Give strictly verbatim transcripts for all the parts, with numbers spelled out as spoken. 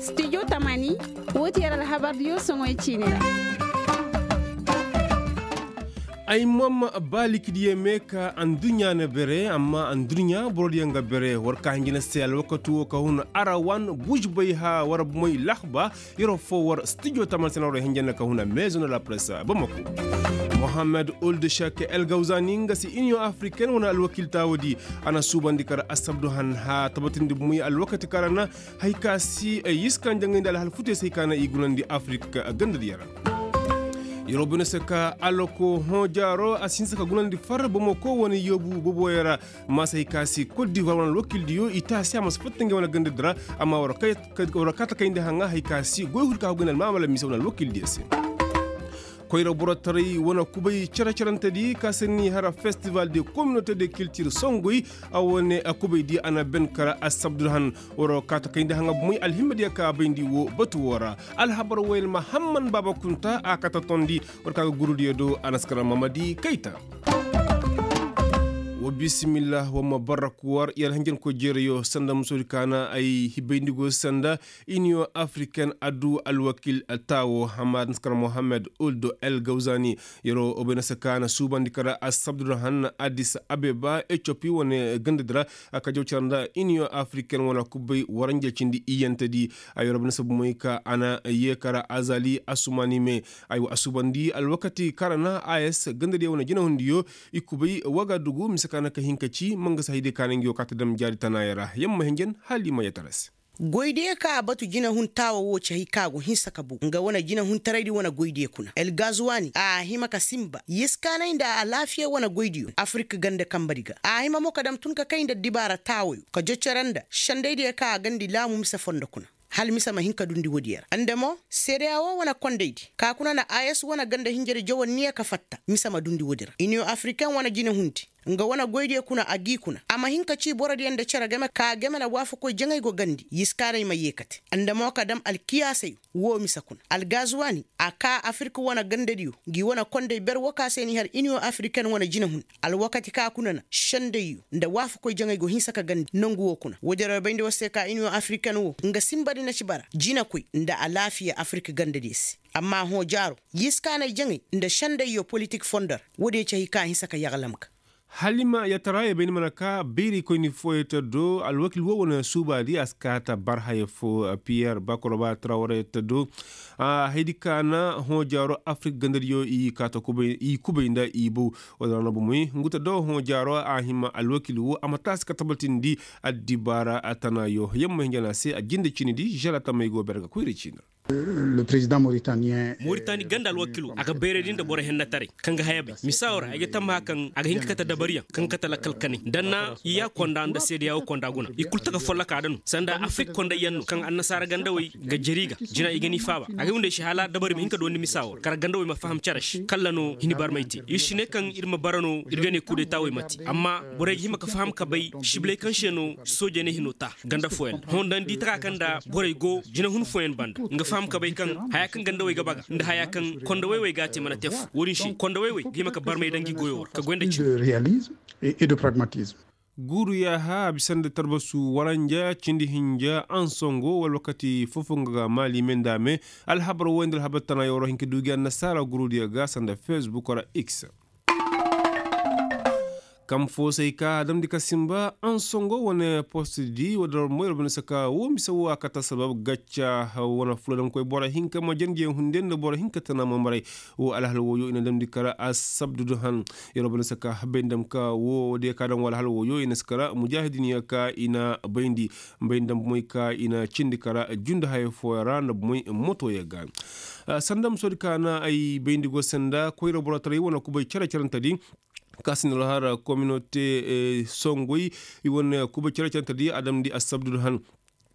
Studio tamani, woo ti yer alhabardiyo soŋoy ciini ra. Ay mom, ba likidiyey me ka anduɲɲa na bere amma anduɲɲa borodiyo nga bere war ka hinjina se alwakati wo ka hun arawan buužbay ha war moy lahba. Yeroo foo war studio tamani se na war hinjina ka hun a maison de la presse bamako. Mohammed old shek el gawzani nga si union africaine wane alwakil taawadi a na suubandi kar asabdu han ha tabatindi moy alwakati kar a na hay ka si yiskan jaŋay nda alhal futey se hay ka na i gunandi afirika gandadiyo ra. Yeroo bine se ka alako hõ jaaro a si hinsa ka gunandi far bamako wane yoobu boboyo ra. Maasay ka si kot divoir wane alwakildiyo i taasi a ma si fatta ngey wane gandadi ra. Amma war kaata kayndi haŋa hay ka si goy huri ka hogayndi almaamala mise wane alwakildiyo se. Koyra borotaray wane kubay cere-cerentedi ka se ni hara festival de communauté de kiltir songoy. A wane kubaydi a na ben kara asabdul han. War kaata kayndi haŋa bumey alhimmadiyo ka bayndi wo batu wo ra. Alhabar wayel mahamman baaba kunta a kata tondi. War ka ga gurudiyo do a na si kara mamadi kayta. Wa bisimillah wa ma barra kuwar yer hanjankoy jeerayo sanda musoodi ka na ay hibayndi go sanda. Iniyo afriken addu alwakil taawo hamad naskar mohammed uldo el gawzani. Yeroo obenasa ka na suubandi kara asabdu da han adis abeba etiyopi wane gandadi ra. A ka jaw cara nda iniyo afriken wane kubbay waranja cindi iyantedi. Ay yeroo obenasa bumey ka a na yee kara azali asumani me. Ay wa a suubandi alwakati kaŋ a ra na a s gandadiyo wane jinahundiyo. I kubay wagadugu mise ka na ka hin ka ci mangasa haydiyo ka na nga yoo ka ta dam jaari tanaaya ra yamma hinjan hala i ma yee tara se. Goydiyo ka a batu jinahun taawa wo ci hay ka go hinsa ka bu nga wane jinahuntaraydi wane goydiyo kuna el gazuwaani a hima ka sinba yiskaanay nda alaafiya wane goydiyo afirik ganda kambadi ga a hima mo ka dam tun ka kay nda dibaara taawayo ka jocora nda sendaydiyo ka a gandi laamu mise fondo kuna. Hala mise ma hin ka dundi woodiyo ra nda mo seedeya wo wane kondaydi ka kuna na a s wane ganda hinjadi jawanniya ka fatta mise ma dundi woodi ra iniyo afiriken wane jinehundi. Nga wane goydiyo kuna a g'i kuna a ma hin ka cii borodiyo nda cere game ka game na waafakoy jaŋay go gandi yiskaanay ma yee kate. Nda mo ka dam alkiyaasayo woo mise kuna algazuwaani a kaa afirik wane gandadiyo ngi wane konday ber wo ka se n'i har iniyo afiriken wane jinehun alwakati ka kuna na sendayyo nda waafakoy jaŋay go hinsa ka gandi nongu woo kuna woodiyo ra bayndi war se ka iniyo afiriken woo nga sinbadi na ci bara jinekoy nda alaafiya afirik gandadiyo se. Amma hõ jaaro yiskaanay jaŋay nda sendayyo politik fondo ra woodiyo ci hay ka a hinsa ka yagalam ga. Halima yatara ya bay ni mana ka bayraykoyni fooyey ta do alwakil woo wane suubaadi a si ka ta bar haya foo piyer bakoroba trawre ta do. Haydi ka na hõ jaaro afirik gandadiyo i ka ta kubay nda i bow. Wala ra no bomey ngu ta do hõ jaaro a hima alwakil woo a ma taasi ka tabatindi. Addibaara a tana yo yamma hinja na se a jinde ciini di žela tamey go ber ga koyra ciini ra. Moritani ganda alwakilo a ga bayraydi nda boro hennetaray kaŋ ga haya bay misaawo ra ay ga tammaha kaŋ a ga hin ka kate dabariyaŋ kaŋ ga kate lakkal kanay nda na i ya konda nda seedeya wo konda guna i kulu taka folloka da no sanda afrik konday yaŋ no kaŋ annasaara gandawey ga jari ga jina i ga ni faaba a ga windey se hala dabari ma hin ka doondi misaawo ra kala gandawey ma faham cere se kalla no hini barmay te ir si ne kaŋ ir ma bara no ir ga ne kudeta wey ma te amma borey ga hima ka faham ka bay sibiley kaŋ se no soojey ne hino ta ganda fooyaŋ ra hondandi taka kaŋ nda borey go jinahun fooyaŋ banda nga faham ka bay kaŋ haya kaŋ gandawey ga baga nda haya kaŋ kondawey wey ga a te mana te fu woodin se kondawey wey ga hima ka barmay daŋ gi goyo ra ka goy nda cimi. Guuru yaaha a bisa nda tarbasu waranja cindi hinja ansongo wala wakati fofo nga ga maali me nda me. Alhabar woy nda alhabar tana yoro hinka duugi annasaara gurudiyo ga sanda facebook ra x. Kaŋ foosey ka a damndi ka simba ansongo wane postdi wadda ra moy ra bane saka wo mise wo a kata sabab gacca wane fulodankoy boro hinka ma jandiyaŋ hunde nda boro hinka tana mamaray. Wo alhal woyo i na damndi kara asabdudu han. Yer wo bane saka bayndi dam ka wo diya ka daŋ wo alhal woyo i na si kara mujahidin ya ka i na bayndi. Bayndi dam bomoy ka i na cindi kara junde haya fooyaŋ ra nda bomoy motoyaŋ ga. Sanda musoodi ka na ay bayndi go sanda koyra borotaray wane kubay care carantadi. Ka sinda alhara kominote songoy i wane kubay care carantadi a damndi asabdudu han.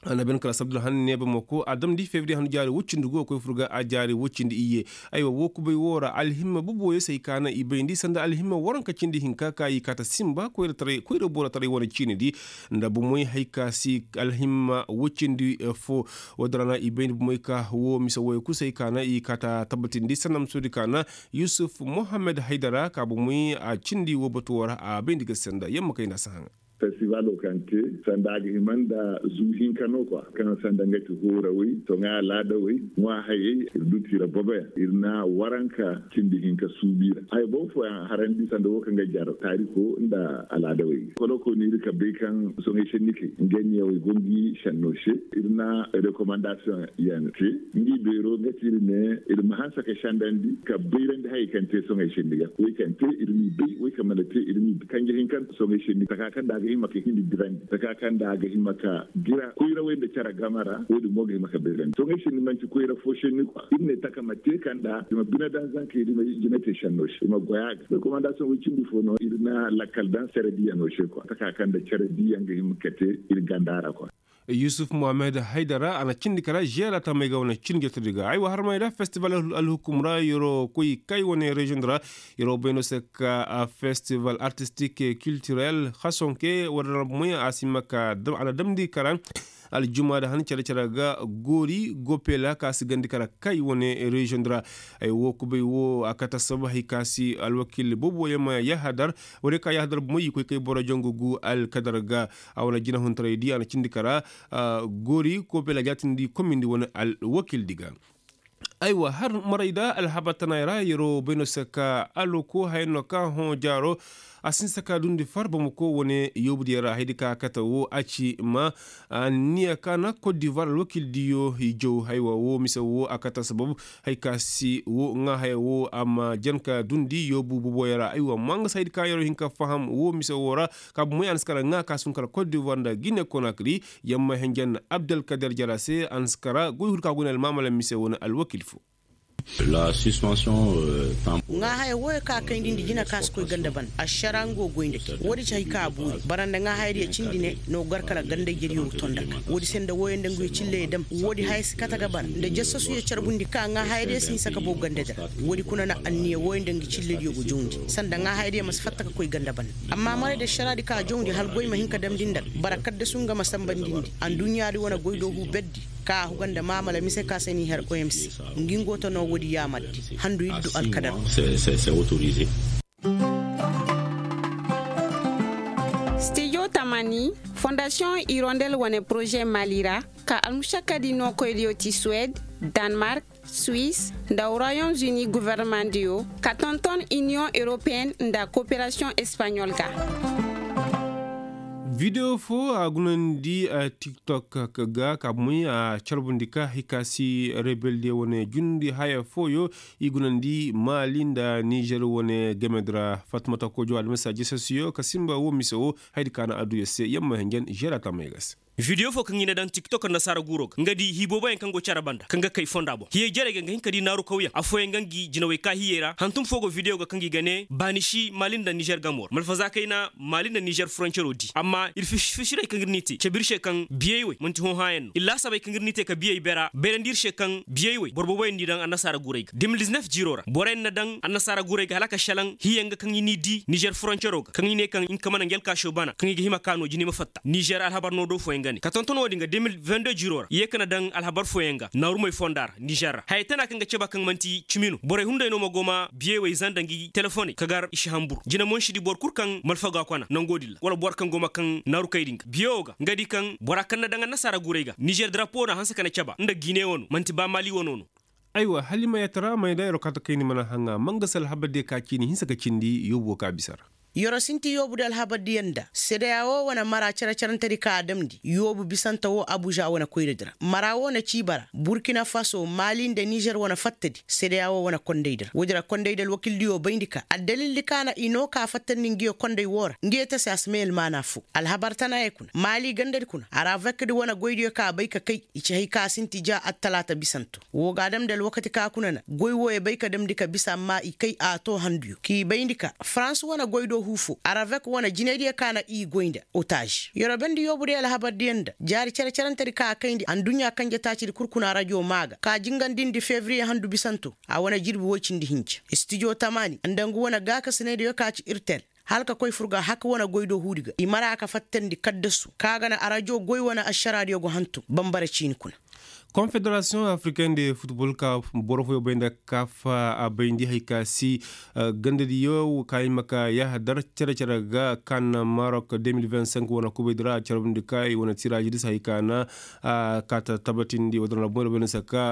A na ben kala asabdudu han neeba mako a damndi fevriye han jaari woy cindi go koy fur ga a jaari woy cindi iyye. Aywa wo kubay wo ra alhimma boboyo se ay ka na i bayndi sanda alhimma waranka cindi hinka ka i kaata simba koyra borotaray wane ciinidi. Nda bomoy hay ka si alhimma woy cindi fo. Woodin ra na i bayndi bomoy ka wo mise woyo kul se ay ka na i kaata tabbatindi sanda musoodi ka na yusuf mohammed haydara ka bomoy a cindi wo batu wo ra a bayndi ga sanda yamma kay nda a si haŋa. Festivalo kaŋ te sanda a ga hima nda zu hinka no kwa kaŋ sanda nga ti hoorawey soŋay alaadawey ŋwa hayey ir du tiira boboyaŋ ir na waranka cindi hinka suubi ra haya boŋ fooyaŋ harandi sanda wo kaŋ ga jar taariko nda alaadawey ga kolokooni ir ka bay kaŋ soŋay sennikey nga niyawey go ngi senno se ir na rekomandasiyoŋ yaŋ te ngi beero nga ti ir ne ir ma hanse ka sendandi ka bayrandi hayey kaŋ te soŋay senni ga wey kaŋ te ir m'i bay wey kaŋ mana te ir m'i kanje hinka soŋay senni taka kaŋ nda a ga hima ka hindi dirandi taka kaŋ nda a ga hima ka dira koyrawey nda care game ra wo- din mo ga hima ka bayrandi soŋay senni manti koyra fo senni kwa ir ne taka ma te kaŋ nda i ma bine daŋ zankey da i ma jina te senno se i ma goy a ga rekomandasiyoŋ wey cindi fo no ir na lakkal daŋ care diiyaŋo se kwa taka kaŋ nda care diiyaŋ ga hima ka te ir ganda ra kwa. Yusuf muhammad haydara a na cindi kara žeera tamey ga wane cindi jotodi ga ay wa harmey da festival alhukum ra yeroo koy kay wane reziyoŋ di ra yeroo bay no se ka festival artistik kiltirel hasonke wala ra moy a si ma ka a na damndi kara aljuma da han care care ga goori gopela ka si gandi kara kay wane reziyoŋ di ra ay wo kubay wo a kate assaba hay ka si alwakil boobo yaŋ ma yahadar wala ka yahadar moy i koy kay boro jongu gu alkadar ga a wane jinahuntaray di a na cindi kara goori koobela jaatindi komindi wane alwakildi ga. Aywa har maray da alhabar tanaay ra yeroo bay no se ka aloko haya no ka hõ jaaro a si hinsa ka dundi far bamako wane yoobudiyo ra haydi ka kate wo a ci ma anniya ka na kot divoir alwakildiyo i jaw haywa wo mise wo a kate sabab hay ka si wo ŋaa haya wo a ma jan ka dundi yoobu boboyo ra aywa ma nga si haydi ka yeroo hin ka faham wo mise wo ra ka bumey a na si kara ŋaa ka si hun kara kot divoir nda gine konakri yamma henjen abdelkader jara se a na si kara goy huru ka go ne almaamala mise wane alwakil fo. Ŋaa haya wooyo ka kayndi nda jina ka si koy ganda ban ašara nga go goy nda kay woodi ci hay ka a boori bara nda ŋaa hayadiyo cindi ne no gar kala ganda ijediyo tonda ga woodi se nda wooyo nda nguyo cilley dam woodi haya si kate ga bara nda jasasuyo carbundi ka ŋaa hayadiyo si hinsa ka bow ganda dira woodi kuna na anniya wooyo nda ngi cillediyo go jawndi sanda ŋaa hayadiyo ma si fatta ka koy ganda ban amma maray da ašaraadi ka jawndi hala goy ma hin ka damndi nda ga bara kaddasu nga ma sambandindi anduɲɲaadi wane goy do huu berdi ka a huga nda maamala mise ka se n'i har omc ngi ngo ta no woodi yaamardi handu iddu alkadar. Stijo tamani fondasiyoŋ irondel wane poroze mali ra ka almušakkadi nookoydiyo ti suwed, danmark, suwis, nda royaume-uni gofornemandiyo ka tonton iniyoŋ europeen nda kooperasiyoŋ espaɲol ga. Videwo fo a gunandi tiktok ga ka moy a carbundi ka hay ka si rebelde wane jundi haya fooyo i gunandi mali nda nizer wane gemedi ra fatumata kojo adamasa jesesiyo ka simba wo mise wo haydi ka na adduya se yamma henjen žera tamay ga se. Video fo kaŋ i na daŋ tiktok annasaara guuro ga nga di hii booboyaŋ kaŋ go care banda kaŋ ga kay fonda boŋ hiyey jarey ga nga hin ka di naaru kawyaŋ affooyaŋ ga ngi jinawey ka hiyey ra hantum fo go video ga kaŋ i ga ne baani si mali nda nizer gamo ra malfaza kayna mali nda nizer foroncero di amma ir fisiray kaŋ ir n'i te cabe ir se kaŋ biyey wey manti hõ hãayaŋ no ir laasabey kaŋ ir n'i te ka biyey bera bayrandi ir se kaŋ biyey wey boro booboyaŋ n'i daŋ annasaara guurey ga de mil diznef jiiro ra boroyaŋ na daŋ annasaara guurey ga hala a ka šelaŋ hiyaŋ ga kaŋ i n'i di nizer foroncero ga kaŋ i ne kaŋ nga ka mana ngi alkaasoo bana kaŋ i ga hima ka no jine ma fatta nizer alhabar no do fooyaŋ ga ne ka tonton wo-din ga de mil vende jiiro ra i ye ka na daŋ alhabar fooyaŋ ga naarumey fonda ra nizer ra hayey tana kaŋ ga caba kaŋ manti cimi no borey hunday no ma go ma biyey wey zanda ngi telefoney ka gar i si hambur jine mo ni si di boro kul kaŋ malfaga kona nango din ra wala boro kaŋ go ma kaŋ naaru kay din ga biyewo ga nga di kaŋ bora kaŋ na daŋ annasaara guurey ga nizer darapo na hanse ka na caba nda gine wano manti ba mali wano no. Aywa hala i ma yatara may da yeroo kaata kayni mana haŋa mangasa alhabardiyo ka ciini hinsa ka cindi yoobu wo ka bisa ra. Yeroo sinti yoobudiyo alhabardiyo nda sedeya wo wane mara care carantedi ka a damndi yoobu bisante wo abuza wane koyradi ra mara wo na ciiba ra burkina faso mali nda nizer wane fattadi sedeya wo wane kondaydi ra woodi ra kondaydi alwakildiyo bayndi ka addalildi ka na i noo ka fattandi nguyo konday woo ra nguyo tasi a si may almaana foo alhabar tanaayey kuna mali gandadi kuna aravekdi wane goydiyo ka bay ka kay i ci hay ka sinti ja attalaata bisanto woo ga a damndi alwakati ka kuna na goy wooyo bay ka damndi ka bisa amma i kay a too handuyo k'i bayndi ka farans wane goy do huu foo aravek wane jinaydiyo ka na i goy nda otaaz yeroo bendi yoobudiyo alhabardiyo nda jaari cere-cerentedi ka a kayndi anduɲɲa kanje taacidi kul kuna rajo maa ga ka jingandindi fevriye handu bisanto a wane jirbi woy cindi hinja istijo tamaani nda ngu wane gaakasinaydiyo ka ci irtel hala ka koy fur ga hak wane goy do huudi ga i mara ka fattandi kaddasu ka ga na arajo goy wane ašaraadiyo go hantum banbara ciini kuna. Konfederasiyoŋ afriken de futbol ka boro fooyoo bay nda kaafa a bayndi hari ka si gandadiyo ka i ma ka yahadar cere-cere ga ka na marok de mil vingt cinq wane kubay di ra a carbundi ka i wane tiraazi di si hari ka na ka ta tabatindi wadar na boŋ ra bay nda si ka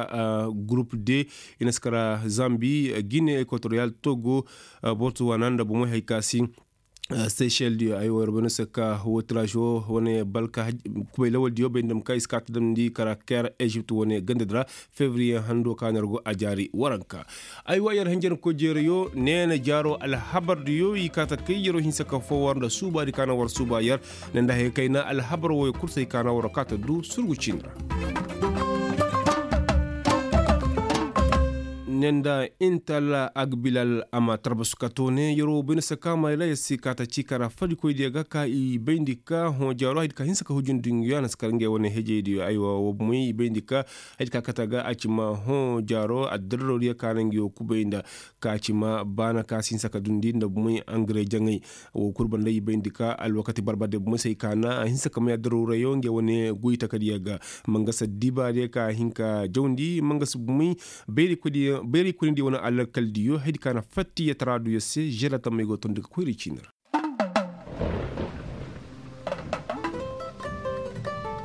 gurup de i na si kara zambi gine ekwatoriyal togo bortu wana nda bomey hari ka si seychel diyo ay wo yer bay no se ka woo tiraazo wane balka kubay lawal diyo bay nda ma ka i si ka ta damndi kara ker ezipt wane ganda di ra fevriye hando ka na yer go a jaari waranka. Ay wa yer hinjankoy jeerayo neena jaaro alhabar diyo i ka ta kay yeroo hinsa ka foo war nda suubaadi ka na war suuba yer ne nda haya kayna alhabar wooyo kul se ay ka na war ka ta du surgu ciini ra. Ne nda intal agbilal a ma tarbasu ka toone yeroo bay no se ka mayla yer si ka ta cii kara fadikoydiyo ga ka i bayndi ka hõ jaaro haydi ka hinsa ka hujundi nguyo a na si kar ngey wane hejeydiyo aywa woo bumey i bayndi ka haydi ka kate a ga a ci ma hõ jaaro addararodiyo ka na nguyo kubay nda ka ci ma baana ka si hinsa ka dundi nda bumey angare jaŋay. Woo kul banda i bayndi ka alwakati barbardiyo bumey se ay ka na a hinsa ka may addararodiyo ngey wane goy takadiyo ga. Mangasa dibaadiyo ka a hin ka jawndi mangasa bumey bayray koynidiyo wane alakaldiyo haydi ka na fattiyataraadiyo se želatammey go tondi ga koyra i ciini ra.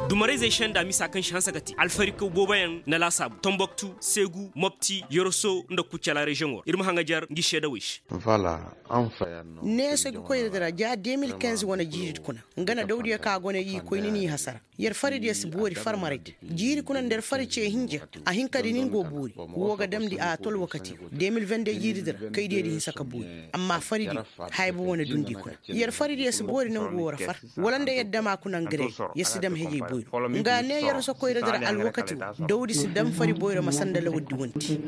Dumarayzey senda misa kaŋ si hanse ka te alfarikoy booboyaŋ na laasaabu tomboktu seegu mopti yoroso nda kucala reziyoŋo ra ir ma haŋajer ngi seedawey se. Neeso ga koyra dira ja de mil kinze wane jiiri kuna nga na dawdiyo ka gone i koyni n'i hasara. Yer faridiyo si boori farmaray di jiiri kuna nda yer fari ce hinja a hin ka di nin go boori. Woo ga damndi a tol wakati de mil vende jiiri dira kaydiyo di hinsa ka boori. Amma faridiyo haya bobo na dundi kuna yer faridiyo si boori nangu woo ra far wala nda yer dama kuna ngare. Yer si dam hejey boyro nga ne yer sokoyra dira alwakati woo dawdi si dam fari boyro ma sanda lawal di wanti.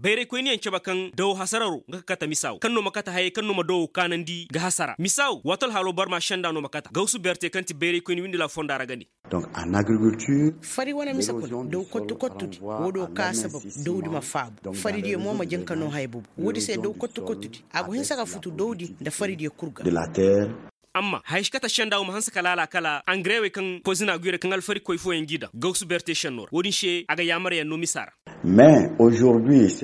Bayraykoyniyaŋ cabe kaŋ dawo hasararo nga ka kate misa wo kaŋ no ma kate hayey kaŋ no ma dawo kaanandi ga hasara misa wo waato alhaalo barma senda no ma kate gawsu berte kaŋ ti bayraykoyni windila fonda ra ga ne. Fari wane mise kuna daw kottu kottudi woo do ka sabab dawdi ma faabu faridiyo mo ma janka no haya bobo woodi se daw kottu kottudi a go hinsa ka futu dawdi nda faridiyo kul ga. Amma haya si kate senda wo ma hanse ka laala kala angarewey kaŋ pozina guyo ra kaŋ alfarikoy fooyaŋ g'i daŋ gawsu berte senno ra woodin se a ga yaamarayaŋ no misa ra.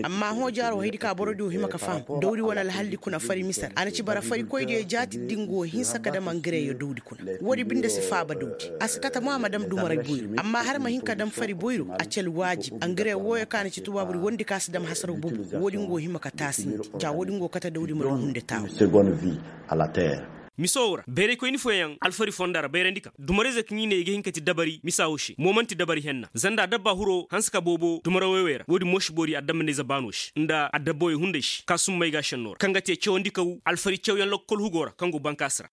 Amma hõ jaaro haydi ka borodiyo hima ka faham dawdi wane alhalli kuna fari mise ra a na ci bara farikoydiyo jaati din go hinsa ka dam angareyo dawdi kuna. Woodi binde si faaba dawdi a si kate mo a ma dam dumaray boyro amma hala ma hin ka dam fari boyro a ci alwaajib angare wooyo kaŋ a na ci tubaabudi wondi kaŋ a si dam hasaraw bobo. Woodin go hima ka taasindi ja woodin go kate dawdi ma du hunde taawa. Miso wo ra bayraykoyni fooyaŋ alfari fonda ra bayrandi kaŋ dumarayzey kaŋ i ne i ga hin ka ti dabari misa wo se mo man'ti dabari henna zanda adabba huro hanse ka boobo dumarawey wey ra woodin mo si boori adammanayze baano se nda adabbawey hunday se kaasummay ga senno ra kaŋ ga te cawandi kaw alfari cawyaŋ lokkol hugo ra kaŋ go bankaasi ra.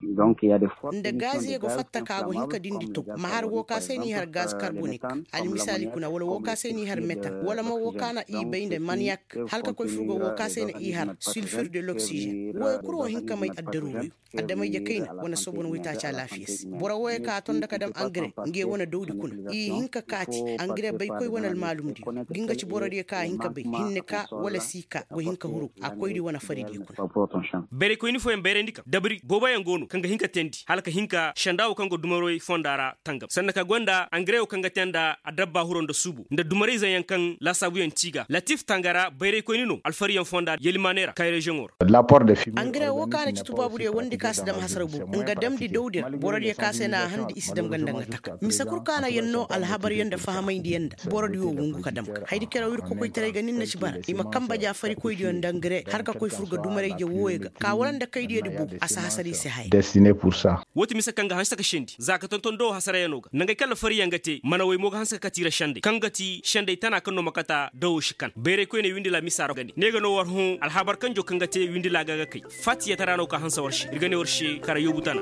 Nda gaaziyo go fatta ka go hin ka dindi to ma har woo ka se n'i har gaz karbonik almisaali kuna wala woo ka se n'i har metan wala mo woo ka na i bay nda maniyak hala ka koy furgo woo ka se na i har sulfir de loksijen wooyo kul wo hin ka may addaruuruyo. Adamay-je kayna wane soobon waytaaci alaafiya se boro wooyo ka a tonda ka dam angare ngey wane dawdi kuna i hin ka kaati angare baykoy wane almaalumdiyo ga nga ci borodiyo ka a hin ka bay hinne ka wala si ka go hin ka huru a koydi wane faridiyo kuna. Bayraykoyni fooyaŋ bayrandi kaŋ dabari booboyaŋ go no kaŋ ga hin ka teendi hala ka hin ka senda wo kaŋ go dumarey fonda ra tangam sanna ka gonda angare wo kaŋ ga te nda adabba huro nda suubo nda dumarayzeyaŋ kaŋ laasaabuyaŋ ti i ga latif tangara bayraykoyni no alfariyaŋ fonda yelimaaney ra kay reziyoŋo ra. Angare wo kaŋ a na ci tubaabudiyo wondi kaŋ a si dam hasara boobo nga damndi dawdi ra borodiyo kaŋ a se na a handi i si dam ganda nga taka mise kul kaŋ a na yer no alhabaryaŋ nda fahamayndiyaŋ nda borodiyo wungu ka dam ga haydi keraw ir kokoytaray ga nin na ci bara i ma kamba ja farikoydiyo nda angare har ka koy fur ga dumarayje wooyo ga ka wala nda kaydiyo di boobo a si hasar i se haya. Woo ti mise kaŋ ga hanse ka sendi za ka tonton dawo hasarayaŋo ga nangey kaŋ alfariyaŋ ga te manawey mo ga hanse ka kate i ra sendey kaŋ ga ti sendey tana kaŋ no ma kata dawo si kan bayraykoyney windi la misa ra ga ne ne ga no war hõ alhabar kanjo kaŋ ga te windi laaga ga kay faatiyatara no ka hanse war se ir ga ne war se kara yoobu tana.